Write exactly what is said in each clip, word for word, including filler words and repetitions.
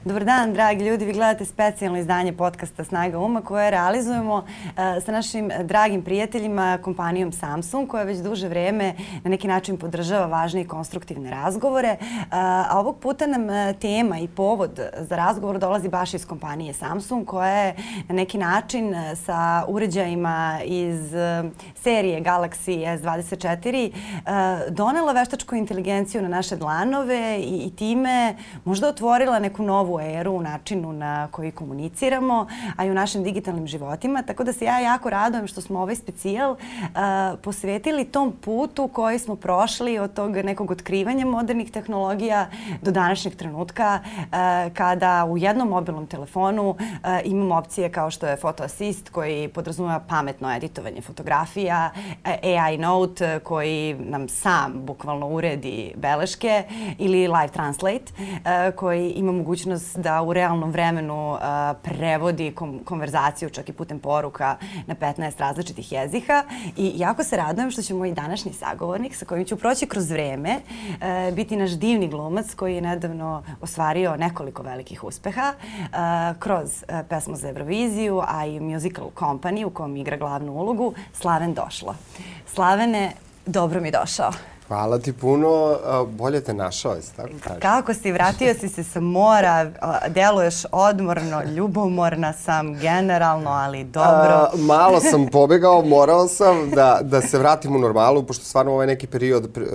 Dobar dan, dragi ljudi. Vi gledate specijalno izdanje podcasta Snaga uma koje realizujemo uh, sa našim dragim prijateljima, kompanijom Samsung, koja već duže vreme na neki način podržava važne i konstruktivne razgovore. Uh, a ovog puta nam uh, tema i povod za razgovor dolazi baš iz kompanije Samsung, koja je na neki način uh, sa uređajima iz uh, serije Galaxy S dvadeset četiri uh, donela veštačku inteligenciju na naše dlanove i, i time možda otvorila neku novu eru u načinu na koji komuniciramo, a i u našim digitalnim životima. Tako da se ja jako radujem što smo ovaj specijal uh, posvetili tom putu koji smo prošli od tog nekog otkrivanja modernih tehnologija do današnjeg trenutka uh, kada u jednom mobilnom telefonu uh, imamo opcije kao što je Photo Assist koji podrazumeva pametno editovanje fotografija, A I Note koji nam sam bukvalno uredi beleške ili Live Translate uh, koji ima mogućnost da u realnom vremenu uh, prevodi kom konverzaciju čak i putem poruka na petnaest različitih jezika. I jako se radujem što će moj današnji sagovornik sa kojim ću proći kroz vreme uh, biti naš divni glumac koji je nedavno ostvario nekoliko velikih uspeha uh, kroz uh, pesmu za Euroviziju, a i musical company u kom igra glavnu ulogu, Slaven Došlo. Slavene, dobro mi došao. Hvala ti puno, bolje te našao, jesi tako kažeš? Kako si, vratio si se sa mora, deluješ odmorno, ljubomorna sam generalno, ali dobro. A, malo sam pobegao, morao sam da, da se vratim u normalu, pošto stvarno ovaj neki period pre,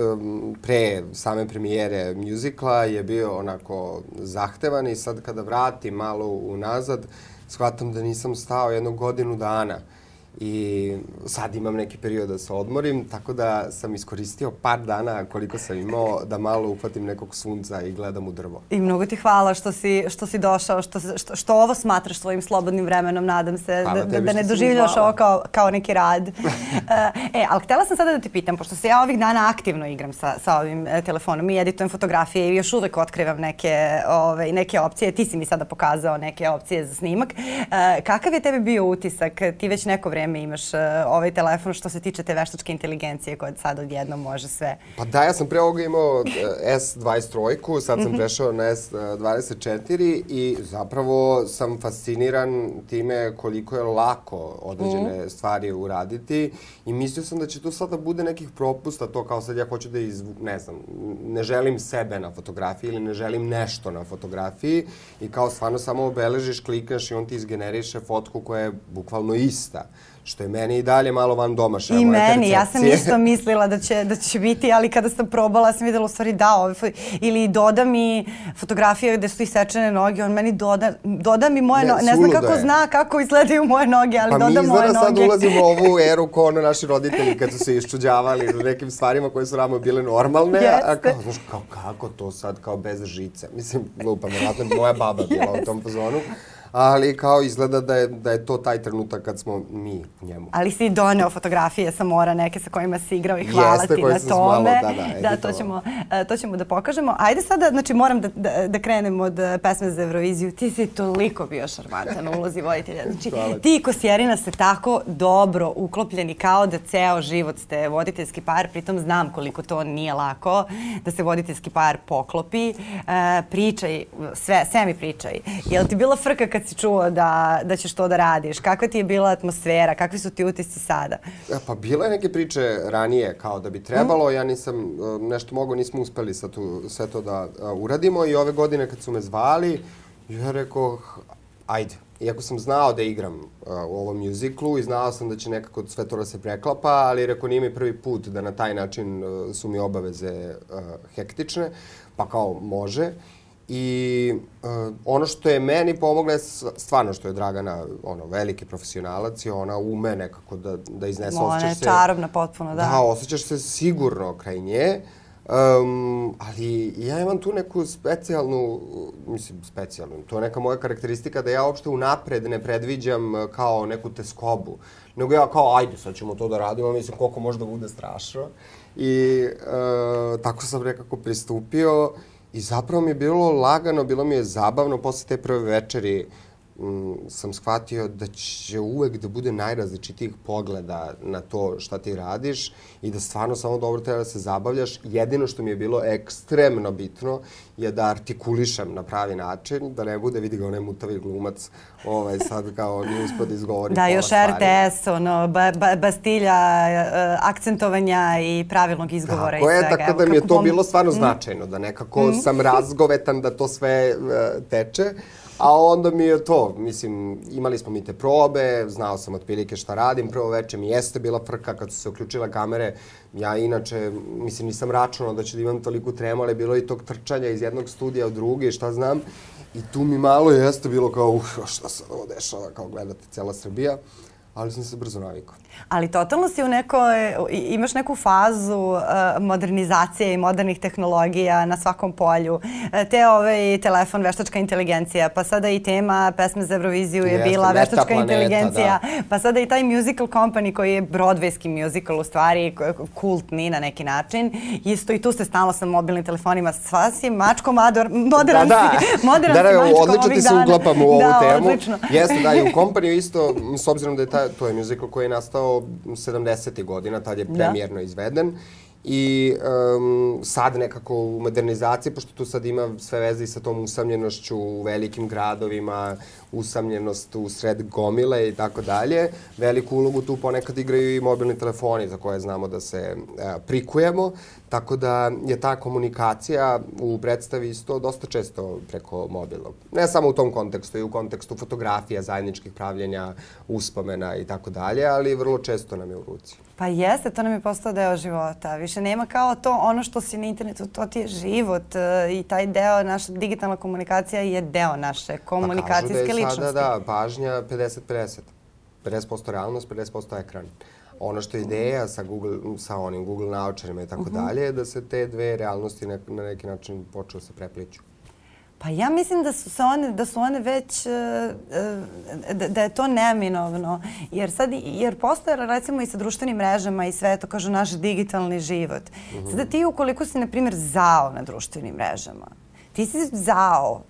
pre same premijere muzikla je bio onako zahtevan i sad kada vratim malo unazad, shvatam da nisam stao jednu godinu dana. I sad imam neki period da se odmorim, tako da sam iskoristio par dana koliko sam imao da malo uhvatim nekog sunca i gledam u drvo. I mnogo ti hvala što si, što si došao, što, što, što ovo smatraš svojim slobodnim vremenom, nadam se, da, da, da ne doživljaš ovo kao, kao neki rad. e, ali htjela sam sada da ti pitam, pošto se ja ovih dana aktivno igram sa, sa ovim telefonom i editujem fotografije i još uvek otkrivam neke, ove, neke opcije, ti si mi sada pokazao neke opcije za snimak. E, kakav je tebi bio utisak? Ti već neko vreme imaš uh, ovaj telefon što se tiče te veštačke inteligencije koja sad odjednom može sve. Pa da, ja sam pre ovoga imao uh, S dvadeset tri, sad sam prešao na S dvadeset četiri i zapravo sam fasciniran time koliko je lako određene mm. stvari uraditi i mislio sam da će tu sada bude nekih propusta, to kao sad ja hoću da iz, ne znam, ne želim sebe na fotografiji ili ne želim nešto na fotografiji i kao stvarno samo obeležiš, klikaš i on ti izgeneriše fotku koja je bukvalno ista. Što je meni i dalje malo van domašaja. I meni, ja sam isto mislila da će, da će biti, ali kada sam probala sam vidjela u stvari da, ove, ili doda mi fotografije gde su isečene noge, on meni doda, doda mi moje noge, ne znam kako je. Zna kako izgledaju moje noge, ali pa doda moje noge. Pa mi izgleda sad ulazimo u ovu eru ko ono naši roditelji kad su se iščuđavali u nekim stvarima koje su nama bile normalne, Jeste. a kao, znaš, kao, kako to sad, kao bez žice. Mislim, glupa, vjerojatno moja baba bila u tom fazonu. Ali kao izgleda da je, da je to taj trenutak kad smo mi u njemu. Ali si doneo fotografije sa mora neke sa kojima si igrao i hvala Jeste, ti na tome. Malo, da, da, da, to ćemo, to ćemo da pokažemo. Ajde sada, znači moram da, da, da krenem od pesme za Euroviziju. Ti si toliko bio šarmantan u ulozi voditelja. Znači, ti i Kosjerina ste tako dobro uklopljeni kao da ceo život ste voditeljski par. Pritom znam koliko to nije lako da se voditeljski par poklopi. E, pričaj, sve, sve mi pričaj. Je li ti bila frka kad si čuo da, da ćeš to da radiš? Kakva ti je bila atmosfera? Kakvi su ti utisci sada? Pa bila je neke priče ranije kao da bi trebalo. Ja nisam nešto mogao, nismo uspeli sad tu, sve to da uradimo i ove godine kad su me zvali, ja rekao, ajde. Iako sam znao da igram uh, u ovom muziklu i znao sam da će nekako sve to da se preklapa, ali rekao nije mi prvi put da na taj način uh, su mi obaveze uh, hektične, pa kao može. I uh, ono što je meni pomoglo je stvarno što je Dragana ono, veliki profesionalac i ona ume nekako da, da iznese. Ona je čarobna potpuno, da. Da, osjećaš se sigurno kraj nje. Um, ali ja imam tu neku specijalnu, mislim specijalnu, to je neka moja karakteristika da ja uopšte unapred ne predviđam kao neku teskobu. Nego ja kao, ajde, sad ćemo to da radimo, mislim koliko može da bude strašno. I uh, tako sam nekako pristupio i zapravo mi je bilo lagano, bilo mi je zabavno posle te prve večeri. m, sam shvatio da će uvek da bude najrazličitijih pogleda na to šta ti radiš i da stvarno samo dobro treba da se zabavljaš. Jedino što mi je bilo ekstremno bitno je da artikulišem na pravi način, da ne bude, vidi ga onaj mutavi glumac, ovaj, sad kao nije uspio da izgovori da, pola još stvari. R T S, ono, ba, ba, bastilja uh, akcentovanja i pravilnog izgovora tako i svega. Tako je, tako da mi je to bilo stvarno značajno, da nekako Mm. sam razgovetan da to sve uh, teče. A onda mi je to, mislim, imali smo mi te probe, znao sam otprilike šta radim, prvo veče mi jeste bila frka kad su se uključile kamere, ja inače, mislim, nisam računao da ću da imam toliko tremu, ali je bilo i tog trčanja iz jednog studija u drugi, šta znam, i tu mi malo jeste bilo kao, uf, šta se ovo dešava, kao gledate cijela Srbija, ali sam se brzo navikao. Ali totalno si u nekoj, imaš neku fazu uh, modernizacije i modernih tehnologija na svakom polju. Te ovaj telefon, veštačka inteligencija, pa sada i tema pesme za Euroviziju je Jeste, bila veštačka planeta, inteligencija, da. pa sada i taj musical company koji je broadwayski musical u stvari, kultni na neki način. Isto i tu se stalno sa mobilnim telefonima, sva si mačko mador, modern da, da. si, modern da, da, si mačko odlično ovih ti se dana. uklapamo u ovu da, temu. Odlično. Jeste, da, i u kompaniju isto, s obzirom da je ta, to je musical koji je nastao sedamdesetih godina, tad je premijerno izveden. I um, sad nekako u modernizaciji, pošto tu sad ima sve veze i sa tom usamljenošću u velikim gradovima, usamljenost u sred gomile i tako dalje, veliku ulogu tu ponekad igraju i mobilni telefoni za koje znamo da se uh, prikujemo, tako da je ta komunikacija u predstavi isto dosta često preko mobilnog. Ne samo u tom kontekstu, i u kontekstu fotografija, zajedničkih pravljenja, uspomena i tako dalje, ali vrlo često nam je u ruci. Pa jeste, to nam je postao deo života. Više nema kao to ono što si na internetu, to ti je život uh, i taj deo, naša digitalna komunikacija je deo naše komunikacijske ličnosti. Pa kažu da je sada, da, pažnja pedeset pedeset. pedeset posto realnost, pedeset posto ekran. Ono što je ideja sa, Google, sa onim Google naočarima i tako dalje je da se te dve realnosti ne, na neki način počeo se prepliću. Pa ja mislim da su, se one, da su one već, da, da je to neminovno. Jer sad, jer postoje recimo i sa društvenim mrežama i sve to, kažu, naš digitalni život. Mm-hmm. Sada ti ukoliko si, na primjer, zao na društvenim mrežama, ti si zao.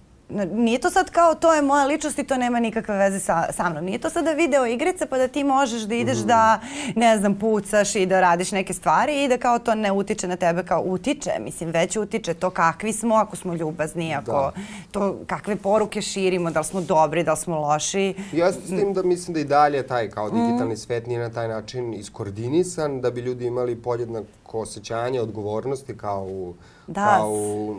Nije to sad kao to je moja ličnost i to nema nikakve veze sa, sa mnom. Nije to sada video igrica pa da ti možeš da ideš mm. da, ne znam, pucaš i da radiš neke stvari i da kao to ne utiče na tebe kao utiče. Mislim, već utiče to kakvi smo, ako smo ljubazni, ako da. to kakve poruke širimo, da li smo dobri, da li smo loši. Ja s tim da mislim da i dalje taj kao digitalni mm. svet nije na taj način iskoordinisan, da bi ljudi imali podjednako osjećanje odgovornosti kao u Da. kao u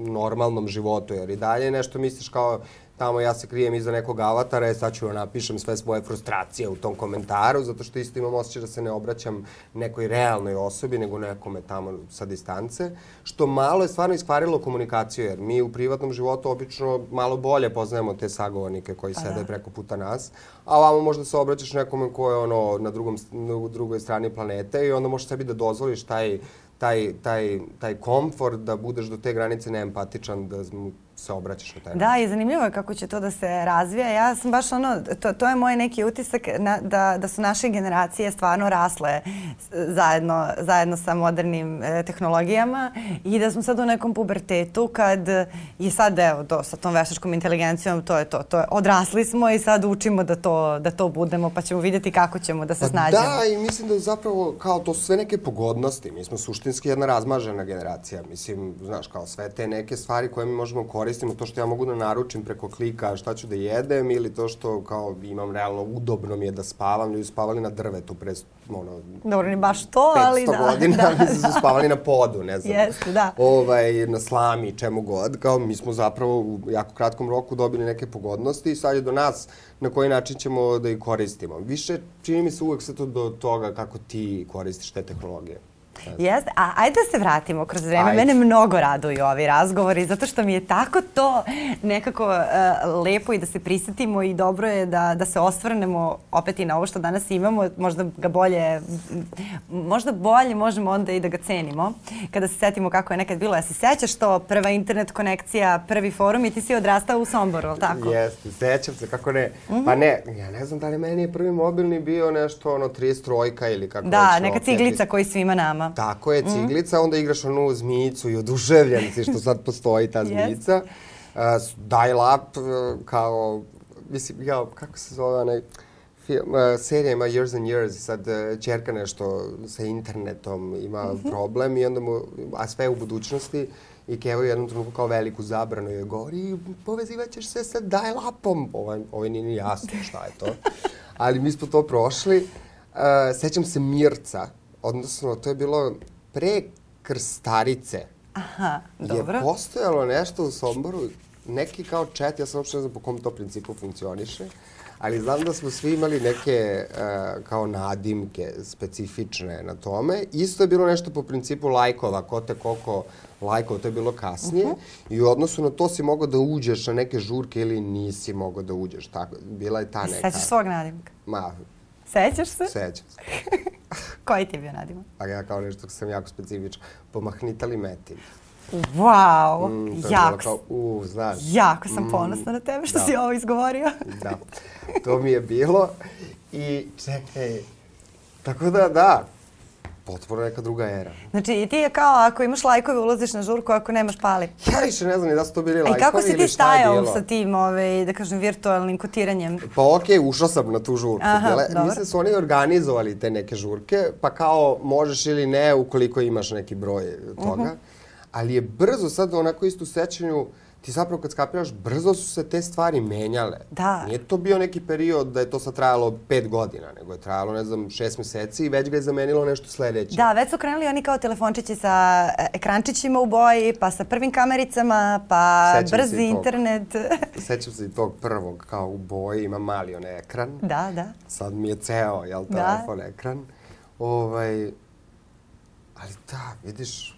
normalnom životu, jer i dalje nešto misliš kao tamo ja se krijem iza nekog avatara i sad ću napišem sve svoje frustracije u tom komentaru, zato što isto imam osjećaj da se ne obraćam nekoj realnoj osobi, nego nekome tamo sa distance, što malo je stvarno iskvarilo komunikaciju, jer mi u privatnom životu obično malo bolje poznajemo te sagovornike koji pa sede da. preko puta nas, a ovamo možda se obraćaš nekome ko je ono na, drugom, na drugoj strani planete i onda možeš sebi da dozvoliš taj taj, taj, taj komfort da budeš do te granice neempatičan, da mu se obraćaš na taj način. Da, i zanimljivo je kako će to da se razvija. Ja sam baš ono, to, to je moj neki utisak na, da, da su naše generacije stvarno rasle zajedno, zajedno sa modernim e, tehnologijama i da smo sad u nekom pubertetu kad je sad, evo, to, sa tom veštačkom inteligencijom, to je to, to je, odrasli smo i sad učimo da to, da to budemo, pa ćemo vidjeti kako ćemo da se pa snađemo. Da, i mislim da zapravo, kao to su sve neke pogodnosti. Mi smo suštinski jedna razmažena generacija. Mislim, znaš, kao sve te neke stvari koje mi možemo koristiti, to što ja mogu da naručim preko klika šta ću da jedem ili to što kao imam realno udobno mi je da spavam. Ljudi spavali na drvetu pre ono, dobro, ni baš to, ali da. petsto godina, da, mislim su spavali na podu, ne znam. Jeste, da. Ovaj, na slami, čemu god. Kao mi smo zapravo u jako kratkom roku dobili neke pogodnosti i sad je do nas na koji način ćemo da ih koristimo. Više čini mi se uvek sve to do toga kako ti koristiš te tehnologije. Jeste, a ajde da se vratimo kroz vreme. Ajde. Mene mnogo raduju ovi razgovori, zato što mi je tako to nekako uh, lepo i da se prisjetimo i dobro je da, da se osvrnemo opet i na ovo što danas imamo. Možda ga bolje, možda bolje možemo onda i da ga cenimo. Kada se setimo kako je nekad bilo. Ja se sećaš to, prva internet konekcija, prvi forum i ti si odrastao u Somboru, ali tako? Jeste, sećam se, kako ne. Mm-hmm. Pa ne, ja ne znam da li meni je prvi mobilni bio nešto ono trideset trojka ili kako da, već, neka opet. ciglica koji svima nama. Tako je, ciglica, mm. onda igraš onu zmijicu i oduševljen si što sad postoji ta zmijica. Uh, dial-up uh, kao mislim, ja, kako se zove onaj film, uh, serija ima Years and Years, sad uh, čerka nešto sa internetom ima mm-hmm. problem i onda mu, a sve je u budućnosti i Kevo u jednom trenutku kao veliku zabranu joj govori povezivat ćeš se sa dial-upom. Ovo, ovo nije ni jasno šta je to. Ali mi smo to prošli. Uh, sećam se Mirca, odnosno to je bilo pre Krstarice. Aha, dobro. Je postojalo nešto u Somboru, neki kao chat, ja sam uopšte ne znam po kom to principu funkcioniše, ali znam da smo svi imali neke uh, kao nadimke specifične na tome. Isto je bilo nešto po principu lajkova, ko te koliko lajkova, to je bilo kasnije. Uh-huh. I u odnosu na to si mogao da uđeš na neke žurke ili nisi mogao da uđeš. Tako, bila je ta neka... Sećaš svog nadimka? Ma... Sećaš se? Sećam se. Koji ti je bio nadimak? A ja kao nešto sam jako specifičan. Pomahnitali metin. Wow, mm, jako, kao, uh, znaš, jako sam mm, ponosna na tebe što da. si ovo izgovorio. Da, to mi je bilo i čekaj, tako da da, potpuno neka druga era. Znači i ti je kao ako imaš lajkove ulaziš na žurku, ako nemaš pali. Ja više ne znam ni da su to bili lajkovi ili šta je bilo. I kako si ti stajao sa tim, ovaj, da kažem, virtualnim kotiranjem? Pa okej, okay, ušao sam na tu žurku. Aha, Dele, mislim su oni organizovali te neke žurke, pa kao možeš ili ne ukoliko imaš neki broj toga. Uh-huh. Ali je brzo sad onako isto u sećanju, ti zapravo kad skapiraš, brzo su se te stvari menjale. Da. Nije to bio neki period da je to sad trajalo pet godina, nego je trajalo, ne znam, šest meseci i već ga je zamenilo nešto sledeće. Da, već su krenuli oni kao telefončići sa ekrančićima u boji, pa sa prvim kamericama, pa sećam brzi internet. Sećam se i tog prvog, kao u boji, ima mali onaj ekran. Da, da. Sad mi je ceo, jel, telefon, da. Ekran. Ovaj, ali da, vidiš,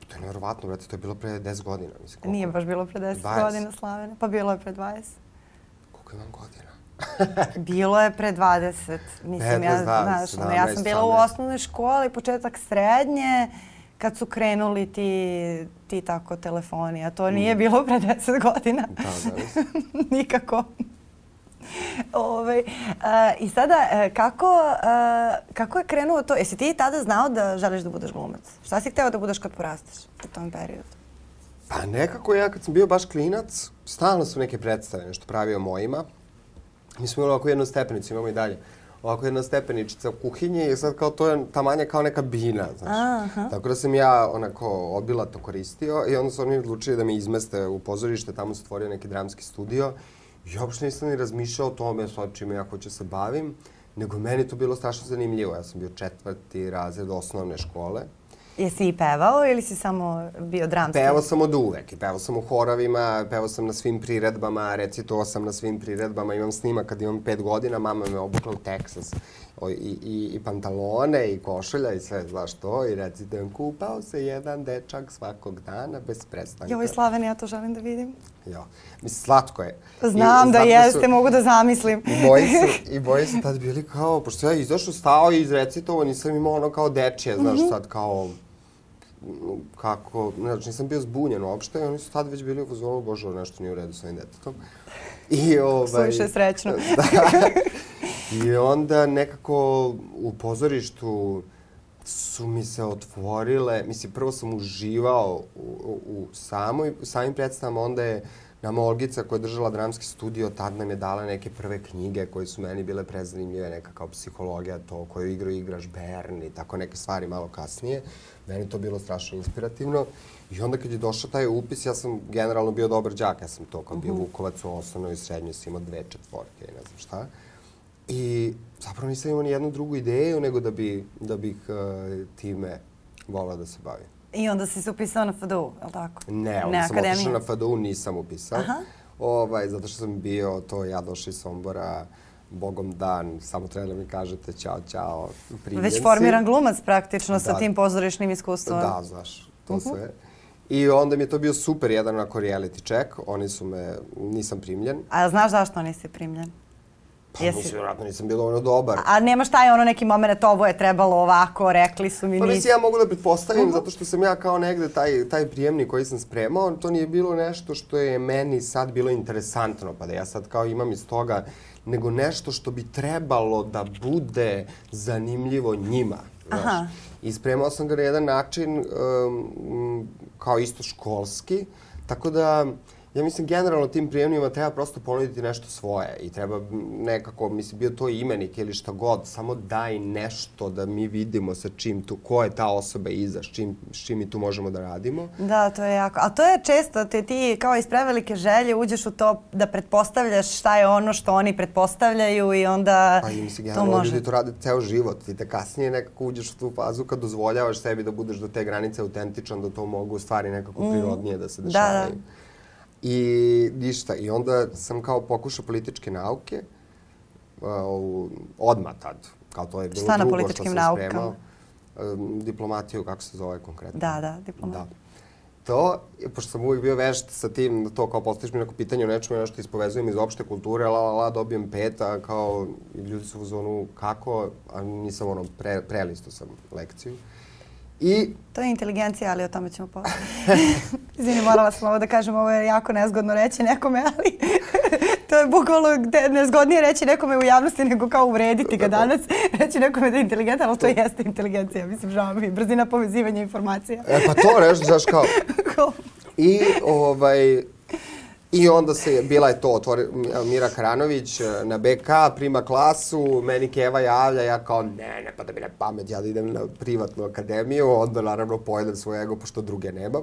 to je nevjerovatno, brate, to je bilo pre deset godina. Mislim, koliko? Nije baš bilo pre deset godina, Slavene. Pa bilo je pre dvadeset. Koliko imam godina? Bilo je pre dvadeset. Mislim, ja, znaš, ono, ja sam bila u osnovnoj školi, početak srednje, kad su krenuli ti, ti tako telefoni, a to nije bilo pre deset godina. Da, da. Nikako. Ove, a, I sada, kako, a, kako je krenuo to? Jesi ti tada znao da želiš da budeš glumac? Šta si hteo da budeš kad porasteš u tom periodu? Pa nekako ja kad sam bio baš klinac, stalno su neke predstave, nešto pravio mojima. Mi smo imali ovako jednu stepenicu, imamo i dalje. Ovako jedna stepeničica u kuhinji i sad kao to je tamanja kao neka bina, znaš. Aha. Tako da sam ja onako obilato koristio i onda su oni odlučili da me izmeste u pozorište, tamo se otvorio neki dramski studio. I uopšte nisam ni razmišljao o tome sad čime ja hoću se bavim, nego meni to bilo strašno zanimljivo. Ja sam bio četvrti razred osnovne škole. Jesi i pevao ili si samo bio dramski? Pevao sam od uvek. Pevao sam u horovima, pevao sam na svim priredbama, recitovao sam na svim priredbama. Imam snimak kad imam pet godina, mama me obukla u Teksas. I, i, i pantalone, i košulja, i sve, znaš to. I recitujem, kupao se jedan dečak svakog dana bez prestanka. Joj, Slaveni, ja to želim da vidim. Jo, mislim, slatko je. Znam I, da jeste, su, mogu da zamislim. I moji su, i moji su tad bili kao, pošto ja izašao, stao i izrecitovao, nisam imao ono kao dečije, znaš, mm-hmm. sad kao, kako, znači nisam bio zbunjen uopšte i oni su tad već bili u fazonu, bože, nešto nije u redu s ovim detetom. I ovaj... Suviše srećno. Da. I onda nekako u pozorištu su mi se otvorile, mislim, prvo sam uživao u, u, u samoj, samim predstavama, onda je nama Olgica koja je držala dramski studio, tad nam je dala neke prve knjige koje su meni bile prezanimljive, neka kao psihologija, to koju igru igraš Bern i tako neke stvari malo kasnije. Meni to bilo strašno inspirativno. I onda kad je došao taj upis, ja sam generalno bio dobar đak, ja sam to kao bio Vukovac u osnovnoj i srednjoj, sam imao dve četvorke i ne znam šta. I zapravo nisam imao ni jednu drugu ideju nego da, bi, da bih uh, time volao da se bavim. I onda si se upisao na F D U, je li tako? Ne, onda ne sam otišao na F D U, nisam upisao. Aha. Ovaj, zato što sam bio to, ja došao iz Sombora, Bogom dan, samo treba da mi kažete ćao, ćao, primljenci. Već formiran glumac praktično da, sa tim pozorišnim iskustvom. Da, znaš, to uh-huh. sve. I onda mi je to bio super jedan onako reality check, oni su me, nisam primljen. A znaš zašto nisi primljen? Pa Jesi... mislim, vjerojatno nisam bilo ono dobar. A, a nemaš taj ono neki moment, ovo je trebalo ovako, rekli su mi pa, nisi. Pa mislim, ja mogu da pretpostavim, uh-huh. zato što sam ja kao negde taj, taj prijemnik koji sam spremao, to nije bilo nešto što je meni sad bilo interesantno, pa da ja sad kao imam iz toga, nego nešto što bi trebalo da bude zanimljivo njima. Aha. I spremao sam ga na jedan način um, kao isto školski, tako da ja mislim generalno tim prijemnima treba prosto ponuditi nešto svoje i treba nekako, mislim, bio to imenik ili šta god, samo daj nešto da mi vidimo sa čim tu, ko je ta osoba iza, s čim, s čim mi tu možemo da radimo. Da, to je jako. A to je često, te ti kao iz prevelike želje uđeš u to da pretpostavljaš šta je ono što oni pretpostavljaju i onda pa, i mislim, to generalno može. ljudi to rade ceo život. Ti te kasnije nekako uđeš u tu fazu kad dozvoljavaš sebi da budeš do te granice autentičan, da to mogu stvari nekako mm. prirodnije da se dešavaju. Da, da. I ništa. I onda sam kao pokušao političke nauke, uh, odmah tad. Kao to je bilo šta drugo na političkim što sam naukama? spremao. Um, diplomatiju, kako se zove konkretno. Da, da, diplomatiju. Da. To, pošto sam uvijek bio vešt sa tim, da to kao postaviš mi neko pitanje o nečemu, ja nešto ispovezujem iz opšte kulture, la, la, la, dobijem pet, a kao ljudi su u zonu kako, a nisam ono, pre, prelisto sam lekciju. I... To je inteligencija, ali o tome ćemo posle. Izvini, morala sam ovo da kažem, ovo je jako nezgodno reći nekome, ali to je bukvalno nezgodnije reći nekome u javnosti nego kao uvrediti ga danas. Reći nekome da je inteligentan, ali to jeste inteligencija. Mislim, žao mi, brzina povezivanja informacija. E pa to reći, znaš kao... I ovaj... I onda se, bila je to, otvori, Mira Karanović na be ka, prima klasu, meni Keva javlja, ja kao, ne, ne, pa da mi ne pamet, ja da idem na privatnu akademiju, onda naravno pojedem svoj ego, pošto druge nemam.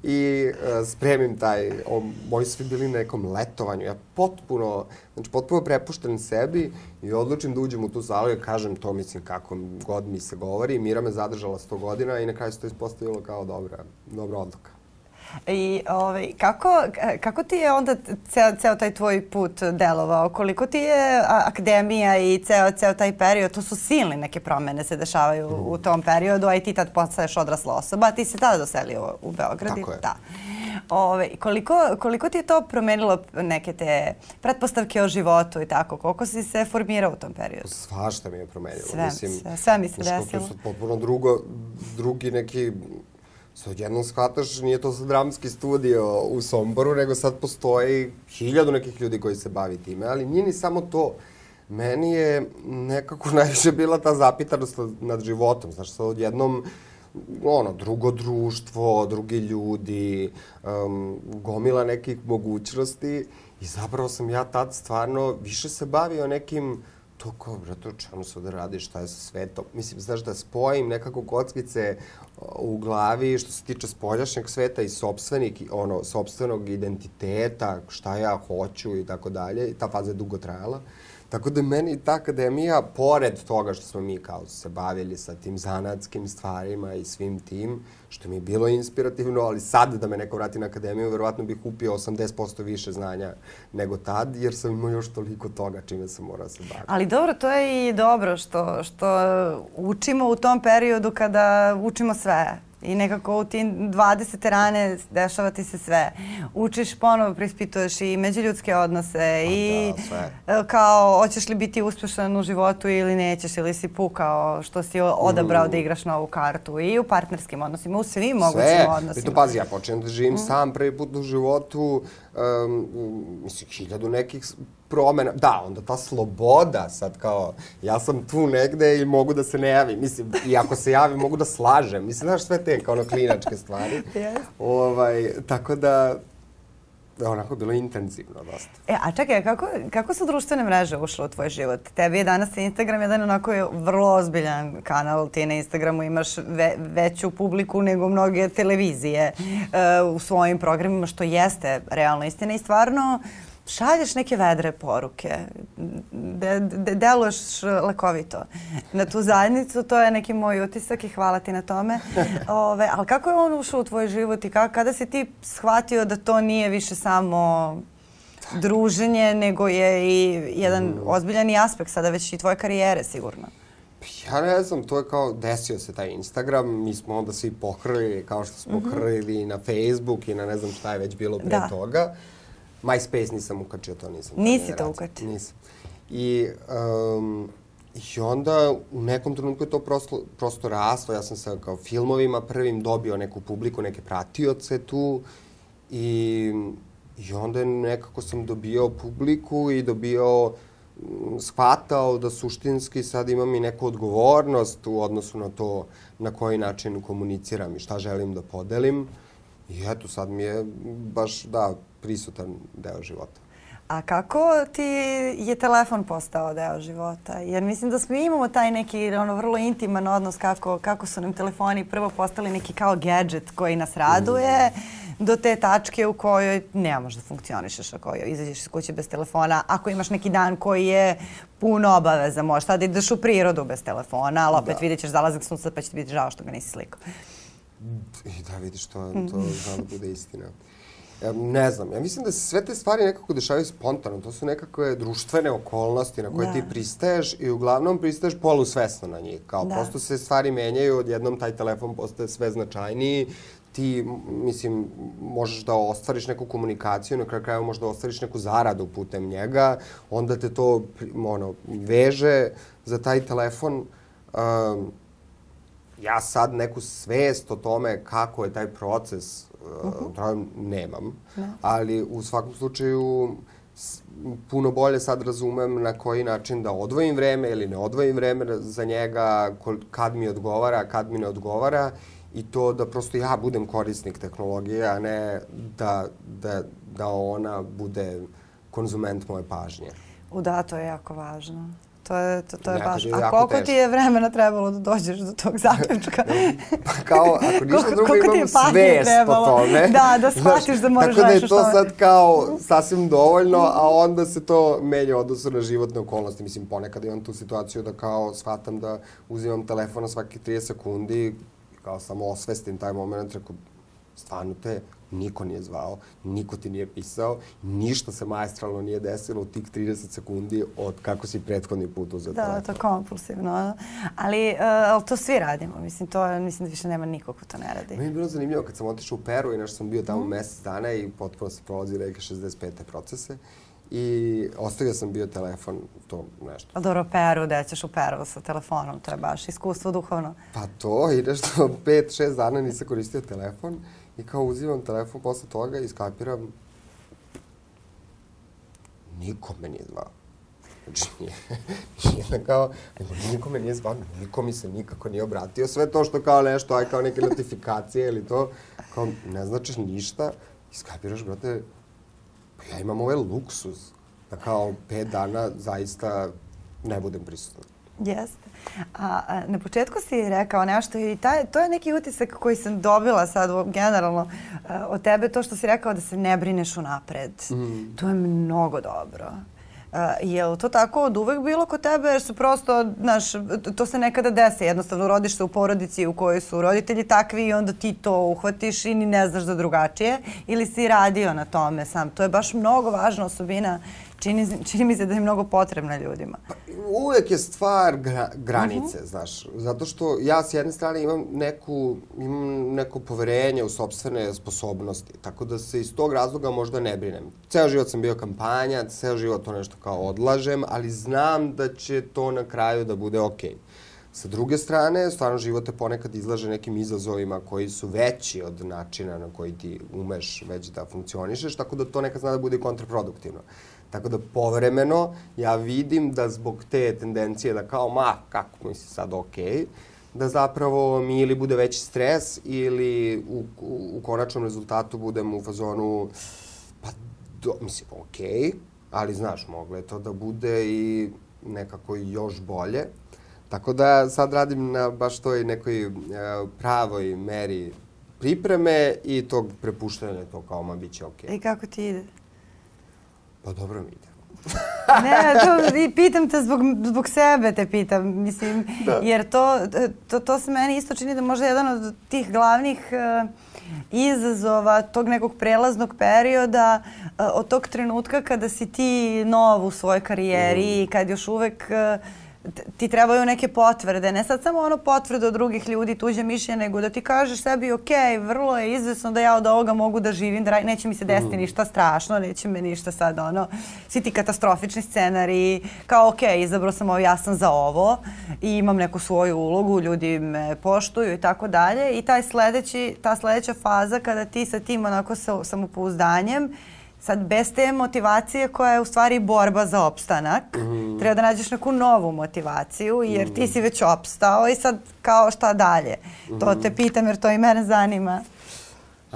I uh, spremim taj, o, moji su bili na nekom letovanju, ja potpuno, znači potpuno prepušten sebi i odlučim da uđem u tu salu i kažem to, mislim, kako god mi se govori. Mira me zadržala sto godina i na kraju se to ispostavilo kao dobra, dobra odluka. I ovaj, kako, kako ti je onda ceo, ceo taj tvoj put delovao? Koliko ti je akademija i ceo, ceo taj period, to su silne neke promene se dešavaju mm. u tom periodu, a i ti tad postaješ odrasla osoba, a ti se tada doselio u Beograd. Tako je. Da. Ove, koliko, koliko ti je to promenilo neke te pretpostavke o životu i tako? Koliko si se formirao u tom periodu? Svašta mi je promenilo. Sve, Mislim, sve, sve mi se desilo. To je potpuno drugo, drugi neki... Sad jednom shvataš, nije to sad dramski studio u Somboru, nego sad postoji hiljadu nekih ljudi koji se bavi time, ali nije ni samo to. Meni je nekako najviše bila ta zapitanost nad životom. Znaš, sad odjednom, ono, drugo društvo, drugi ljudi, um, gomila nekih mogućnosti i zapravo sam ja tad stvarno više se bavio nekim to kao, brate, o čemu se ovdje radi, šta je sa svetom. Mislim, znaš, da spojim nekako kockice u glavi što se tiče spoljašnjeg sveta i sopstvenih, ono, sopstvenog identiteta, šta ja hoću i tako dalje. I ta faza je dugo trajala. Tako da meni ta akademija, pored toga što smo mi kao se bavili sa tim zanatskim stvarima i svim tim, što mi je bilo inspirativno, ali sad da me neko vrati na akademiju, verovatno bih kupio osamdeset posto više znanja nego tad, jer sam imao još toliko toga čime sam morao se baviti. Ali dobro, to je i dobro što, što učimo u tom periodu kada učimo sve. I nekako u tim dvadesete rane dešava ti se sve. Učiš, ponovo preispituješ i međuljudske odnose i da, kao hoćeš li biti uspješan u životu ili nećeš, ili si pukao što si odabrao mm. da igraš novu kartu i u partnerskim odnosima, u svim mogućim sve. odnosima. Sve. Pazi, ja počnem da živim mm. sam prvi put u životu, um, mislim, hiljadu nekih promjena. Da, onda ta sloboda sad kao, ja sam tu negde i mogu da se ne javim. Mislim, i ako se javim, mogu da slažem. Mislim, znaš, sve te kao ono klinačke stvari. Yes. Ovaj, tako da, onako je bilo intenzivno dosta. E, a čekaj, kako, kako su društvene mreže ušle u tvoj život? Tebi je danas Instagram jedan onako je vrlo ozbiljan kanal. Ti na Instagramu imaš ve, veću publiku nego mnoge televizije uh, u svojim programima, što jeste realno istina i stvarno šalješ neke vedre poruke, de, de, deluješ lekovito na tu zajednicu, to je neki moj utisak i hvala ti na tome. Ove, ali kako je on ušao u tvoj život i kako, kada si ti shvatio da to nije više samo druženje, nego je i jedan mm. ozbiljan aspekt sada već i tvoje karijere sigurno? Ja ne znam, to je kao desio se taj Instagram, mi smo onda svi pohrlili kao što smo mm-hmm. hrlili na Facebook i na ne znam šta je već bilo pre da. toga. MySpace nisam ukačio, to nisam. Nisi to ukačio? Nisam. I, um, I onda u nekom trenutku je to prosto, prosto raslo. Ja sam sa kao filmovima prvim dobio neku publiku, neke pratioce tu. I, i onda nekako sam dobio publiku i dobio, shvatao da suštinski sad imam i neku odgovornost u odnosu na to na koji način komuniciram i šta želim da podelim. I eto, sad mi je baš, da, prisutan deo života. A kako ti je telefon postao deo života? Jer mislim da smo imamo taj neki ono, vrlo intiman odnos kako, kako su nam telefoni prvo postali neki kao gadget koji nas raduje, mm. do te tačke u kojoj ne možeš da funkcionišeš ako izađeš iz kuće bez telefona. Ako imaš neki dan koji je puno obaveza, možeš tada ideš u prirodu bez telefona, ali opet da. vidjet ćeš zalazak sunca pa će ti biti žao što ga nisi slikao. I da, vidiš, to, to zna da bude istina. Ja, ne znam, ja mislim da se sve te stvari nekako dešavaju spontano. To su nekakve društvene okolnosti na koje da. ti pristaješ i uglavnom pristaješ polusvesno na njih. Kao da. prosto se stvari menjaju, odjednom taj telefon postaje sve značajniji. Ti, mislim, možeš da ostvariš neku komunikaciju, na kraju kraju možeš da ostvariš neku zaradu putem njega, onda te to ono, veže za taj telefon. Um, ja sad neku svest o tome kako je taj proces Uh-huh. nemam, ne. ali u svakom slučaju puno bolje sad razumem na koji način da odvojim vreme ili ne odvojim vreme za njega, kad mi odgovara, kad mi ne odgovara i to da prosto ja budem korisnik tehnologije, a ne da, da, da ona bude konzument moje pažnje. U da, to je jako važno. To je, to, to je baš. A koliko teško. ti je vremena trebalo da dođeš do tog zaključka? Pa kao, ako ništa drugo imam svest o tome. Da, da shvatiš da moraš tako da je to sad kao sasvim dovoljno, a onda se to menja odnosno na životne okolnosti. Mislim, ponekad imam tu situaciju da kao shvatam da uzimam telefon na svaki trideset sekundi, kao samo osvestim taj moment, reko, stvarno te niko nije zvao, niko ti nije pisao, ništa se maestralno nije desilo u tih trideset sekundi od kako si prethodni put uzeo telefon. Da, to je kompulsivno. Ali, uh, ali to svi radimo. Mislim, to, mislim da više nema nikog ko to ne radi. Meni je bilo zanimljivo kad sam otišao u Peru i nešto sam bio tamo mm. mesec dana i potpuno se prolazi neke šezdeset pete procese. I ostavio sam bio telefon, to nešto. A dobro, Peru, gde ćeš u Peru sa telefonom? To je baš iskustvo duhovno. Pa to i nešto pet, šest dana nisam koristio telefon. I kao uzimam telefon posle toga i skapiram, niko me nije zvao. Znači, nije, nije kao, niko me nije zvao, niko mi se nikako nije obratio. Sve to što kao nešto, aj kao neke notifikacije ili to, kao ne značiš ništa i skapiraš, brate, pa ja imam ovaj luksuz da kao pet dana zaista ne budem prisutan. Jeste. A, a na početku si rekao nešto i taj, to je neki utisak koji sam dobila sad generalno a, od tebe, to što si rekao da se ne brineš unapred. Mm. To je mnogo dobro. A, je li to tako od uvek bilo kod tebe? Jer su prosto, znaš, to se nekada desi. Jednostavno rodiš se u porodici u kojoj su roditelji takvi i onda ti to uhvatiš i ni ne znaš da drugačije. Ili si radio na tome sam. To je baš mnogo važna osobina. Čini, čini mi se da je mnogo potrebna ljudima. Pa, uvijek je stvar gra, granice, uh-huh. znaš. Zato što ja s jedne strane imam neku, imam neko poverenje u sopstvene sposobnosti. Tako da se iz tog razloga možda ne brinem. Ceo život sam bio kampanja, ceo život to nešto kao odlažem, ali znam da će to na kraju da bude okej. Okay. Sa druge strane, stvarno život te ponekad izlaže nekim izazovima koji su veći od načina na koji ti umeš već da funkcionišeš, tako da to nekad zna da bude kontraproduktivno. Tako da povremeno ja vidim da zbog te tendencije da kao ma, kako mi si sad okej, da zapravo mi ili bude veći stres ili u, u, u konačnom rezultatu budem u fazonu pa, do, mislim, okej, ali znaš, moglo je to da bude i nekako još bolje. Tako da sad radim na baš toj nekoj uh, pravoj meri pripreme i tog prepuštanja to kao ma bit će okej. I kako ti ide? Pa dobro mi ide. Ne, to i pitam te zbog, zbog sebe te pitam, mislim, da. Jer to, to, to se meni isto čini da možda jedan od tih glavnih uh, izazova tog nekog prelaznog perioda, uh, od tog trenutka kada si ti nov u svojoj karijeri i mm. kad još uvek uh, ti trebaju neke potvrde, ne sad samo ono potvrde od drugih ljudi, tuđe mišljenje, nego da ti kažeš sebi, ok, vrlo je izvesno da ja od ovoga mogu da živim, da neće mi se desiti ništa strašno, neće me ništa sad ono, svi ti katastrofični scenariji, kao ok, izabrao sam ovo, ja sam za ovo i imam neku svoju ulogu, ljudi me poštuju i tako dalje i taj sledeći, ta sledeća faza kada ti sa tim onako sa samopouzdanjem sad, bez te motivacije koja je u stvari borba za opstanak, mm. treba da nađeš neku novu motivaciju jer mm. ti si već opstao i sad kao šta dalje. Mm. To te pitam jer to i mene zanima.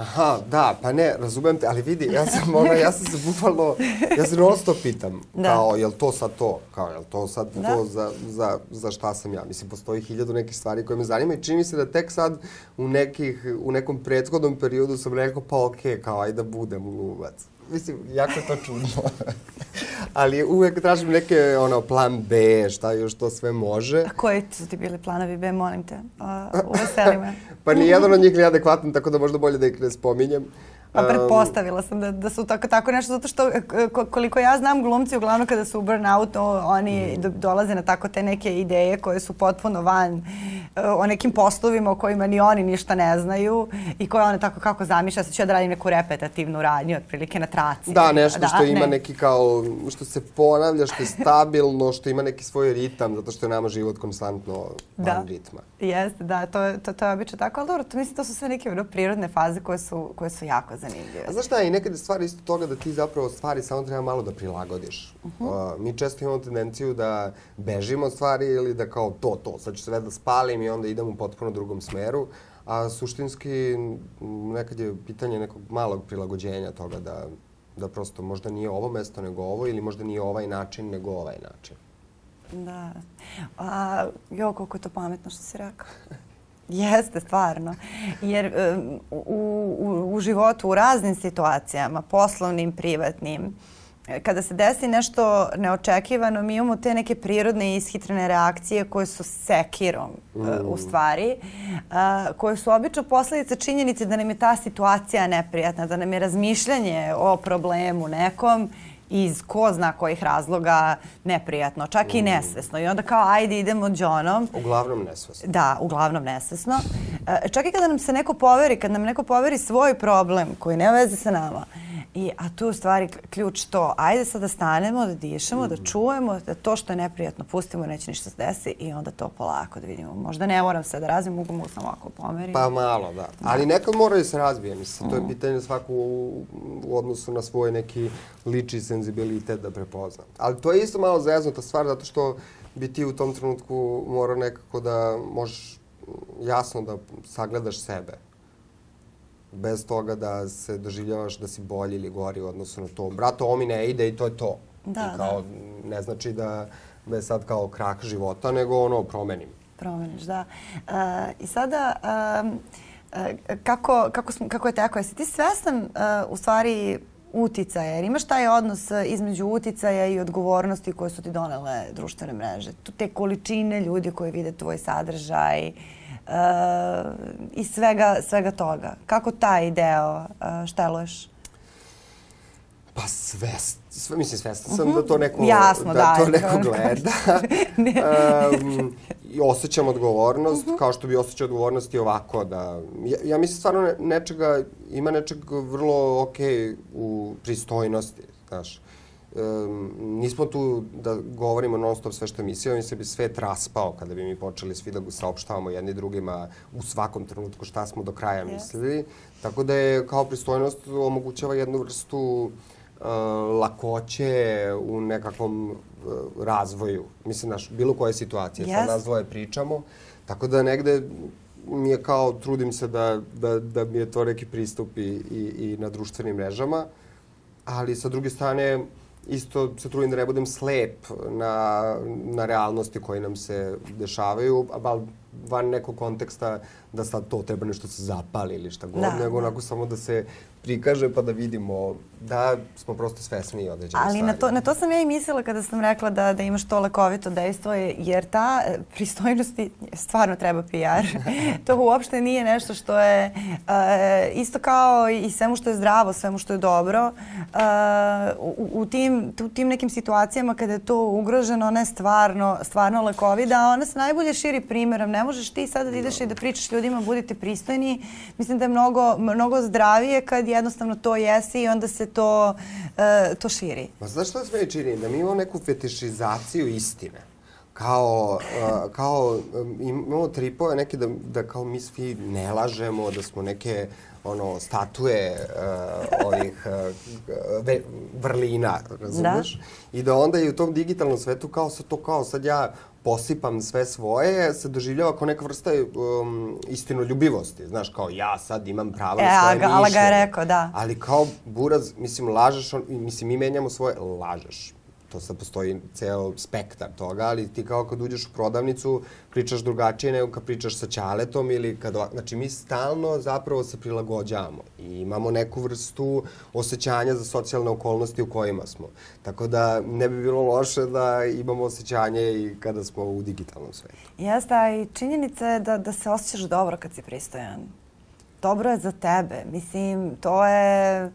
Aha, da, pa ne, razumem te, ali vidi, ja sam ona, ja sam se bukvalno, ja se non stop pitam, da. Kao, jel to sad to? Kao, jel to sad da. to za, za, za šta sam ja? Mislim, postoji hiljadu nekih stvari koje me zanima i čini mi se da tek sad u, nekih, u nekom prethodnom periodu sam rekao, pa okej, okay, kao, ajde da budem glumac. Mislim, jako je to čudno. Ali uvek tražim neke, ono, plan B, šta još to sve može. A koji su ti bili planovi B, molim te? Uveseli me. Pa nijedan od njih nije adekvatan, tako da možda bolje da ih ne spominjem. Pa pretpostavila sam da, da su tako, tako nešto, zato što koliko ja znam glumci, uglavnom kada su u burnoutu, oni do, dolaze na tako te neke ideje koje su potpuno van o nekim poslovima o kojima ni oni ništa ne znaju i koje one tako kako zamišlja, sad ću ja da radim neku repetativnu radnju, otprilike na traci. Da, nešto da, što ima ne. neki kao, što se ponavlja, što je stabilno, što ima neki svoj ritam, zato što je nama život konstantno van da. ritma. Jeste, da, to, to, to je obično tako, ali dobro, to, mislim, to su sve neke ono, prirodne faze koje su, koje su jako zanimljive. A znaš šta je, i nekada stvari isto toga da ti zapravo stvari samo treba malo da prilagodiš. Uh-huh. Uh, mi često imamo tendenciju da bežimo od stvari ili da kao to, to, sad ću sve da spalim i onda idem u potpuno drugom smeru. A suštinski nekad je pitanje nekog malog prilagođenja toga da, da prosto možda nije ovo mesto nego ovo ili možda nije ovaj način nego ovaj način. Da. A, jo, koliko je to pametno što si rekao. Jeste, stvarno. Jer um, u, u, u životu, u raznim situacijama, poslovnim, privatnim, kada se desi nešto neočekivano, mi imamo te neke prirodne i ishitrene reakcije koje su sekirom, mm. uh, u stvari, uh, koje su obično posljedice činjenice da nam je ta situacija neprijatna, da nam je razmišljanje o problemu nekom iz ko zna kojih razloga neprijatno, čak mm. i nesvesno. I onda kao, ajde, idemo džonom. Uglavnom nesvesno. Da, uglavnom nesvesno. E, čak i kada nam se neko poveri, kad nam neko poveri svoj problem koji nema veze sa nama, I, a tu je u stvari ključ to, ajde sad da stanemo, da dišemo, mm. da čujemo, da to što je neprijatno pustimo, neće ništa se desi i onda to polako da vidimo. Možda ne moram se da razvijem, mogu, mogu samo ovako pomerim. Pa malo, da. Ali nekad mora da se razvije. Mislim, mm. to je pitanje svako u, u odnosu na svoj neki lični senzibilitet da prepozna. Ali to je isto malo zeznuta stvar, zato što bi ti u tom trenutku morao nekako da možeš jasno da sagledaš sebe. Bez toga da se doživljavaš da si bolji ili gori u odnosu na to. Brato, ovo mi ne ide i to je to. Da, I kao, da. Ne znači da, da je sad kao krah života, nego ono, promenim. Promeniš, da. Uh, I sada, um, uh, kako, kako, smo, kako je tako? Jesi ti svestan uh, u stvari uticaja? Jer imaš taj odnos između uticaja i odgovornosti koje su ti donele društvene mreže? Tu te količine ljudi koji vide tvoj sadržaj, Uh, i svega, svega toga. Kako taj deo uh, šteluješ? Pa svest, sve, mislim svestan sam uh-huh. da to neko, Jasno, da, da, to neko gleda. um, I osjećam odgovornost, uh-huh. kao što bi osjećao odgovornost i ovako. Da, ja, ja mislim stvarno ne, nečega, ima nečeg vrlo okej u pristojnosti, znaš. Um, nismo tu da govorimo non stop sve što je emisija, mi se bi svet raspao kada bi mi počeli svi da saopštavamo jedni drugima u svakom trenutku šta smo do kraja yes. mislili. Tako da je kao pristojnost omogućava jednu vrstu uh, lakoće u nekakvom uh, razvoju. Mislim, naš, bilo koje situacije, yes. sad nas dvoje pričamo. Tako da negde mi je kao, trudim se da, da, da mi je to neki pristup i, i, i na društvenim mrežama. Ali sa druge strane, isto se trudim da ne budem slep na, na realnosti koje nam se dešavaju, ali van nekog konteksta da sad to treba nešto se zapali ili šta god, da, nego da. onako samo da se prikaže pa da vidimo da smo prosto svesni određene stvari. Ali na to, na to sam ja i mislila kada sam rekla da, da imaš to lekovito dejstvo, jer ta pristojnosti stvarno treba P R. To uopšte nije nešto što je uh, isto kao i svemu što je zdravo, svemu što je dobro. Uh, u, u, tim, u tim nekim situacijama kada je to ugroženo, ona je stvarno, stvarno lekovita, a ona se najbolje širi primjerom. Ne možeš ti sada da ideš no. i da pričaš ljudima budite pristojni. Mislim da je mnogo, mnogo zdravije kad jednostavno to jesi i onda se to, uh, to širi. Ma znaš što se meni čini? Da mi imamo neku fetišizaciju istine. kao, uh, kao um, imamo tripove neke da, da kao mi svi ne lažemo, da smo neke ono, statue uh, ovih uh, ve, vrlina, razumeš? Da. I da onda i u tom digitalnom svetu kao sad to kao sad ja posipam sve svoje, se doživljava kao neka vrsta um, istinoljubivosti. Znaš, kao ja sad imam pravo e, na svoje mišljenje. Ali ga je rekao, da. Ali kao buraz, mislim, lažeš, on, mislim, mi menjamo svoje, lažeš. To sad postoji ceo spektar toga, ali ti kao kad uđeš u prodavnicu pričaš drugačije nego kad pričaš sa ćaletom ili kad... Znači, mi stalno zapravo se prilagođavamo i imamo neku vrstu osjećanja za socijalne okolnosti u kojima smo. Tako da ne bi bilo loše da imamo osjećanje i kada smo u digitalnom svetu. Jeste, a i činjenica je da, da se osjećaš dobro kad si pristojan. Dobro je za tebe. Mislim, to je...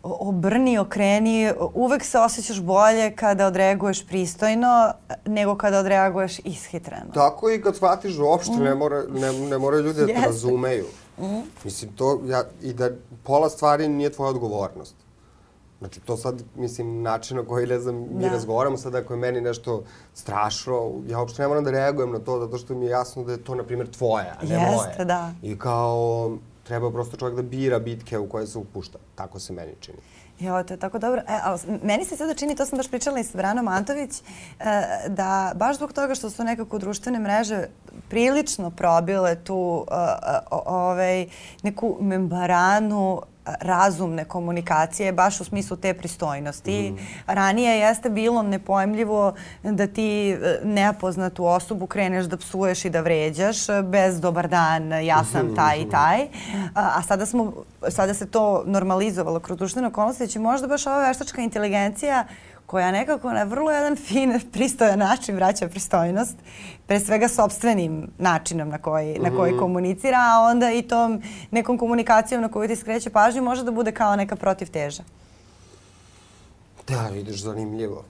Obrni, okreni, uvek se osjećaš bolje kada odreaguješ pristojno nego kada odreaguješ ishitreno. Tako i kad shvatiš da uopšte mm. ne, mora, ne, ne moraju ljudi da te razumeju. Mm. Mislim, to, ja, i da pola stvari nije tvoja odgovornost. Znači, to sad, mislim, način na koji, ne znam, mi da. razgovaramo sad, ako je meni nešto strašno, ja uopšte ne moram da reagujem na to, zato što mi je jasno da je to, na primjer, tvoje, a ne Jeste, moje. Da. I kao... Treba prosto čovjek da bira bitke u koje se upušta. Tako se meni čini. Jo, to je tako dobro. E, ali meni se sada čini, to sam baš pričala i s Branom Antović, da baš zbog toga što su nekako društvene mreže prilično probile tu ovaj, neku membranu razumne komunikacije, baš u smislu te pristojnosti. Mm. Ranije jeste bilo nepojmljivo da ti nepoznatu osobu kreneš da psuješ i da vređaš bez dobar dan, ja sam taj i taj. A sada, smo, sada se to normalizovalo kroz društvene okolnosti, će možda baš ova veštačka inteligencija koja nekako na vrlo jedan fin, pristojan način vraća pristojnost, pre svega sopstvenim načinom na koji, na koji komunicira, a onda i tom nekom komunikacijom na koju ti skreće pažnju može da bude kao neka protivteža. Da, vidiš, zanimljivo.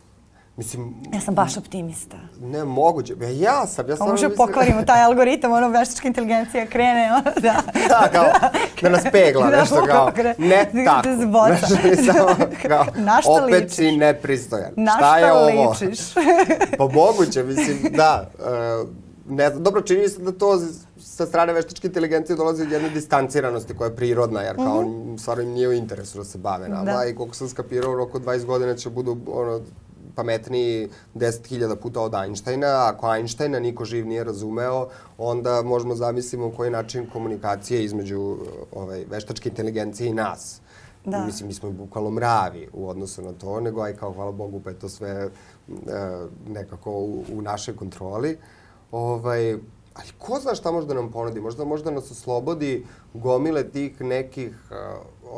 Mislim... Ja sam baš optimista. Ne, moguće. Ja, ja sam. Ja samo možda mislim... pokvarimo taj algoritam, ono veštačka inteligencija krene, ono da... Da, kao, da nas pegla nešto kao, ne tako. Da zboca. Samo kao, opet si nepristojan. Šta je ovo? Na šta ličiš? Pa moguće, mislim, da. Ne znam, dobro, čini se da to sa strane veštačke inteligencije dolazi od jedne distanciranosti koja je prirodna, jer kao mm-hmm. stvarno im nije u interesu da se bave nama. Da. I koliko sam skapirao, u roku dvadeset godina će budu ono, pametniji deset hiljada puta od Einsteina. Ako Einsteina niko živ nije razumeo, onda možemo zamislimo koji način komunikacije između ovaj, veštačke inteligencije i nas. Da. Mislim, mi smo bukvalno mravi u odnosu na to, nego aj kao, hvala Bogu, pa je to sve e, nekako u, u našoj kontroli. Ovaj, ali ko zna šta može da nam ponudi? Možda, možda nas oslobodi gomile tih nekih uh,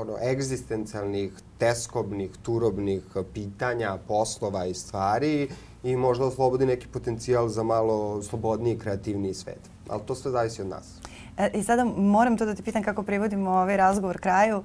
ono, egzistencijalnih, teskobnih, turobnih pitanja, poslova i stvari i možda oslobodi neki potencijal za malo slobodniji, kreativniji svet. Ali to sve zavisi od nas. E, I sada moram to da te pitam kako privodimo ovaj razgovor kraju.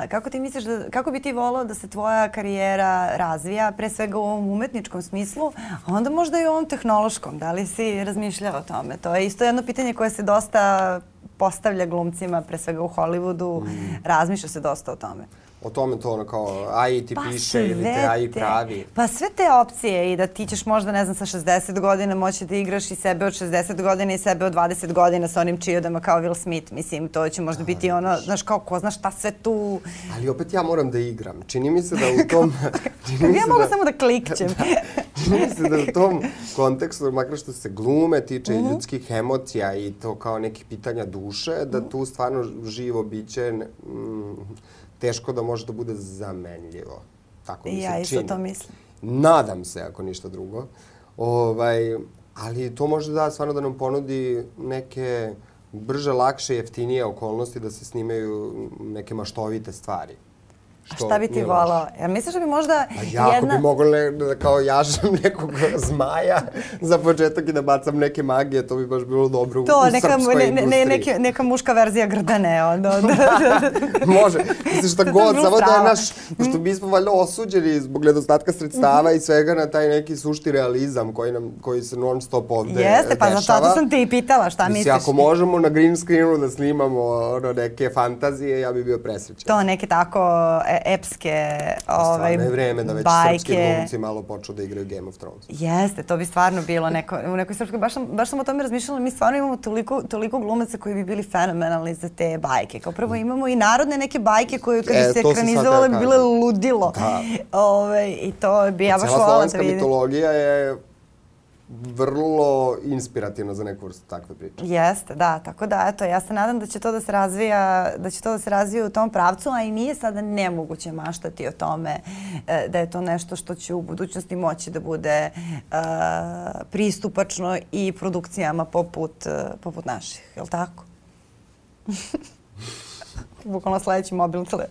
E, kako ti misliš da, kako bi ti volao da se tvoja karijera razvija, pre svega u ovom umetničkom smislu, a onda možda i u ovom tehnološkom? Da li si razmišljao o tome? To je isto jedno pitanje koje se dosta postavlja glumcima, pre svega u Hollywoodu. Mm. Razmišlja se dosta o tome. O tome to ono kao A I ti pa piše ili te A I pravi. Pa sve te opcije i da ti ćeš možda, ne znam, sa šezdeset godina moći da igraš i sebe od šezdeset godina i sebe od dvadeset godina sa onim čijodama kao Will Smith. Mislim, to će možda biti ono, znaš, kao ko zna šta sve tu... Ali opet ja moram da igram. Čini mi se da u tom... ja mogu da, samo da klikćem. Da, čini mi se da u tom kontekstu, makar što se glume tiče mm-hmm. ljudskih emocija i to kao neki pitanja duše, da tu stvarno živo biće... Mm, teško da može da bude zamenljivo. Tako mi se čini. Ja isto to mislim. Nadam se, ako ništa drugo. Ovaj, ali to može da stvarno da nam ponudi neke brže, lakše, jeftinije okolnosti da se snimaju neke maštovite stvari. A šta bi ti volao? Jer misliš da bi možda pa jako jedna... bi mogla da kao jažem nekog zmaja za početak i da bacam neke magije, to bi baš bilo dobro u, to, u neka, srpskoj ne, industriji. Ne, neke, neka muška verzija Grdane. Onda, onda. Može. Misliš šta god, samo da je naš, pošto mi smo valjda osuđeni zbog nedostatka sredstava i svega na taj neki sušti realizam koji, nam, koji se non stop ovde Jeste, pa dešava. zato sam te i pitala, šta Mislim, misliš? Ako možemo na green screenu da snimamo ono, neke fantazije, ja bi bio presrećan. To neke tako epske Stvarno ovaj, je vreme da već bajke. Srpski glumci malo počnu da igraju Game of Thrones. Jeste, to bi stvarno bilo neko, u nekoj srpskoj, baš sam, baš sam o tome razmišljala, mi stvarno imamo toliko, toliko glumaca koji bi bili fenomenalni za te bajke. Kao prvo imamo i narodne neke bajke koje kad bi E, se to sam ekranizovale sad bi teo bile kažem. ludilo. Da. Ove, I to bi ja baš Cijela volala da slovenska vidim. mitologija je vrlo inspirativna za neku vrstu takve priče. Jeste, da, tako da eto, ja se nadam da će to da se razvija, da će to da se razvija u tom pravcu, a i nije sada nemoguće maštati o tome e, da je to nešto što će u budućnosti moći da bude e, pristupačno i produkcijama poput, e, poput naših, je li tako? Bukvalno sledeći mobilni tele,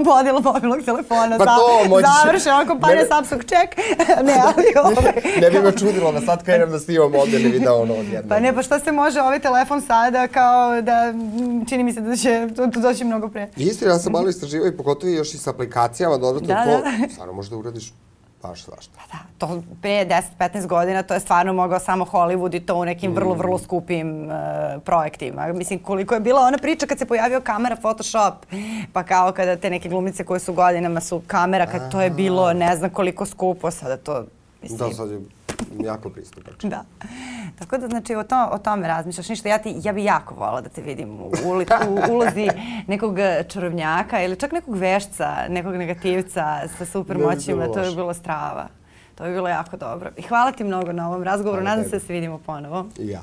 model mobilnog telefona. Pa to možeš... Završen, on kompanija Mene... Samsung check. Ne, ali ovaj... Ne bi me čudilo da sad krenem da snimam mobilni video ono odjedno. Pa ne, pa šta se može ovaj telefon sada kao da čini mi se da će to, to doći mnogo pre. Istina, ja sam malo istraživao i pogotovo još i sa aplikacijama dodatno Da, to. da. Stvarno možda uradiš baš svašta. Da, to pre deset petnaest godina to je stvarno mogao samo Hollywood i to u nekim vrlo, vrlo skupim uh, projektima. Mislim, koliko je bila ona priča kad se pojavio kamera Photoshop, pa kao kada te neke glumice koje su godinama su kamera, kad to je bilo ne znam koliko skupo, sada to... Mislim, Da, sad je jako pristupačno. Da. Tako da, znači, o, to, o tome razmišljaš. Ništa, ja, ti, ja bi jako volila da te vidim u, uli, u ulozi nekog čarobnjaka ili čak nekog vešca, nekog negativca sa super moćima. To bi bilo strava. To bi bilo jako dobro. I hvala ti mnogo na ovom razgovoru. Nadam se da se vidimo ponovo. I ja.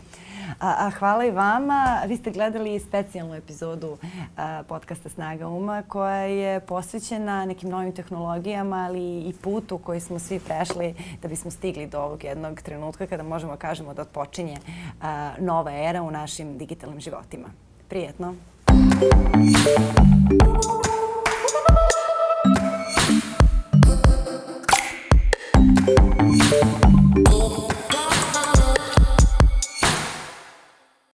A, a hvala i vama. Vi ste gledali specijalnu epizodu a, podcasta Snaga uma koja je posvećena nekim novim tehnologijama, ali i putu koji smo svi prešli da bismo stigli do ovog jednog trenutka kada možemo da kažemo da odpočinje a, nova era u našim digitalnim životima. Prijetno!